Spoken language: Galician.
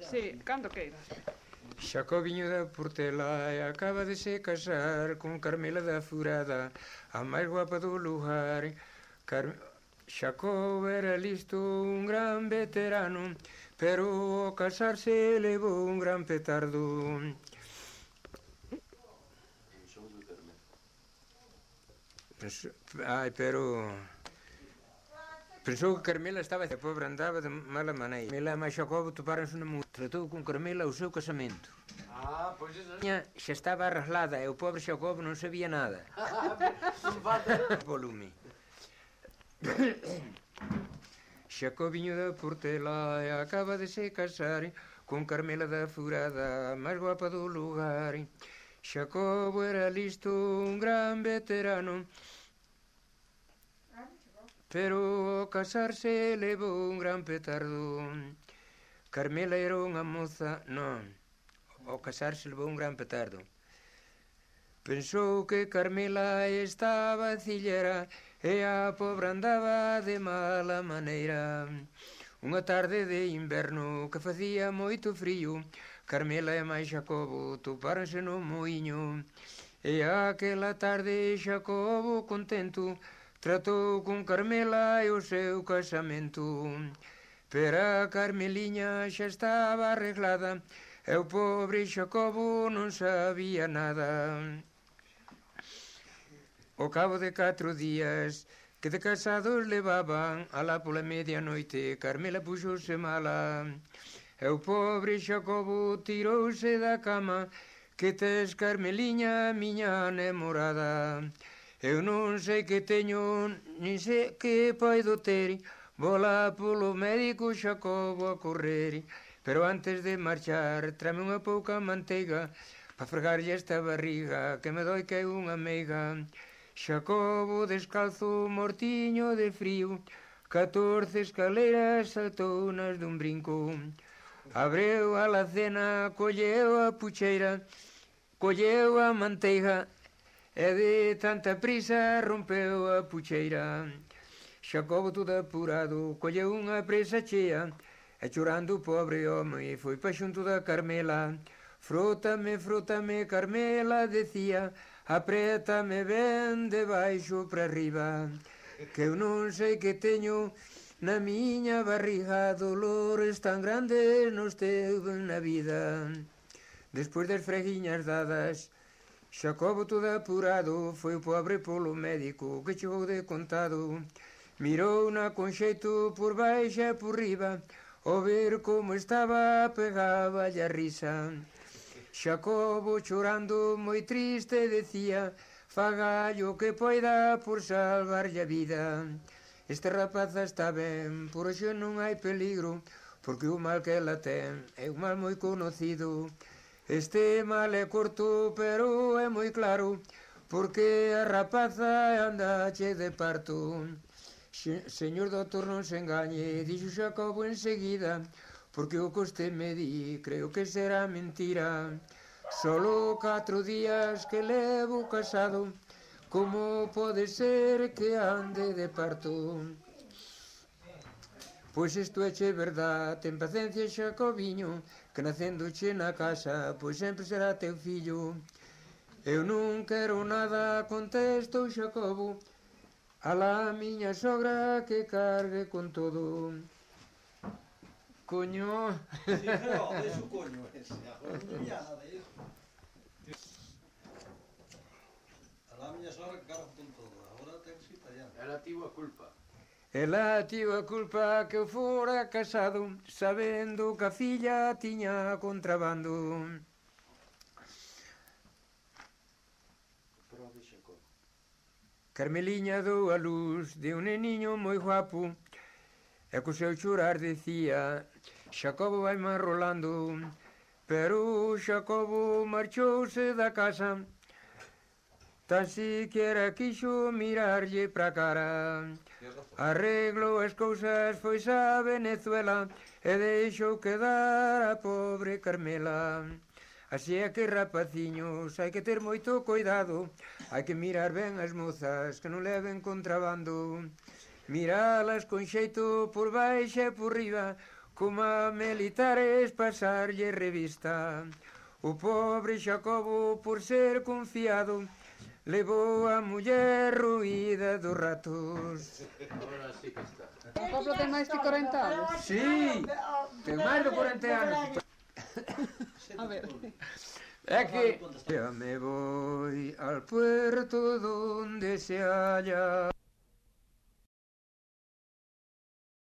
Sí, cando queiras. Xacobiño da Portela acaba de se casar con Carmela da Furada, a máis guapa do lugar. Xacobo era listo, un gran veterano, pero ao casarse levou un gran petardo. Ai, pero... Pensou que Carmela estaba... A pobre andaba de mala maneira. Carmela e Xacobo toparonse no mundo. Tratou con Carmela o seu casamento. Pois eso. Xa estaba arreglada e o pobre Xacobo non sabía nada. Non falta. Volume. Xacobiño da Portela acaba de se casar con Carmela da Furada, a máis guapa do lugar. Xacobo era listo, un gran veterano, pero ao casarse levou un gran petardo. Carmela era unha moza... Non, ao casarse levou un gran petardo. Pensou que Carmela estaba cillera e a pobre andaba de mala maneira. Unha tarde de inverno que facía moito frío, Carmela e máis Xacobo topáronse no muiño. E aquela tarde Xacobo contento tratou con Carmela e o seu casamento. Pero a Carmeliña xa estaba arreglada e o pobre Xacobo non sabía nada. Ao cabo de 4 días que de casados levaban, alá pola medianoite Carmela puxose mala e o pobre Xacobo tirouse da cama. Que tes, Carmeliña, miña namorada? Eu non sei que teño, nin sei que poido ter. Vola polo médico Xacobo a correr, pero antes de marchar trame unha pouca manteiga pa fregarlle esta barriga que me doi que é unha meiga. Xacobo descalzo, mortiño de frío, 14 escaleiras saltounas dun brinco. Abreu a alacena, colleu a pucheira, colleu a manteiga e de tanta prisa rompeu a pucheira. Xacobo todo apurado colleu unha presa chea e chorando o pobre home foi pa xunto da Carmela. Frótame, frótame, Carmela, decía, apriétame ben de baixo para arriba, que eu non sei que teño na miña barriga, dolores tan grandes nos teve na vida. Despois das freguiñas dadas, Xacobo todo apurado foi o pobre polo médico que chegou de contado. Mirou-na con xeito por baixo e por riba, ao ver como estaba pegaba a risa. Xacobo chorando moi triste decía, fagallo que poida por salvarlle a vida. Este rapaza está ben, por hoxe non hai peligro, porque o mal que ela ten é un mal moi conocido. Este mal é corto, pero é moi claro, porque a rapaza andache de parto. Señor doutor, non se engañe, dixo Xacobo enseguida, porque o que usted me di creo que será mentira. Solo 4 días que levo casado, como pode ser que ande de parto? Pois isto éche verdad, ten paciencia Xacobiño, que nacendoche na casa, pois sempre será teu fillo. Eu non quero nada, contestou Xacobo, alá a miña sogra que cargue con todo. Coño. Sí, pero de su coño ese, agora non había nada de eso. Alá a miña sogra que cargue con todo, agora ten que ser italiano. Ela tivo a culpa. Ela tivo a culpa que eu fora casado, sabendo que a filla tiña contrabando. Carmeliña dou a luz de un neniño moi guapo, e co seu chorar decía, Xacobo vai marrolando, pero Xacobo marchouse da casa, tan siquiera quixo mirarlle pra cara. Arreglo as cousas, foi a Venezuela e deixou quedar a pobre Carmela. Así é que, rapaciños, hai que ter moito cuidado, hai que mirar ben as mozas que non leven contrabando. Miralas con xeito por baixo e por riba, como a militares pasarlle revista. O pobre Xacobo, por ser confiado, levou a muller ruída dos ratos. Ahora sí que está. O Pablo ten máis que 40 anos. Sí, ten máis de 40 anos. A ver. É que... Ya me voy al puerto donde se halla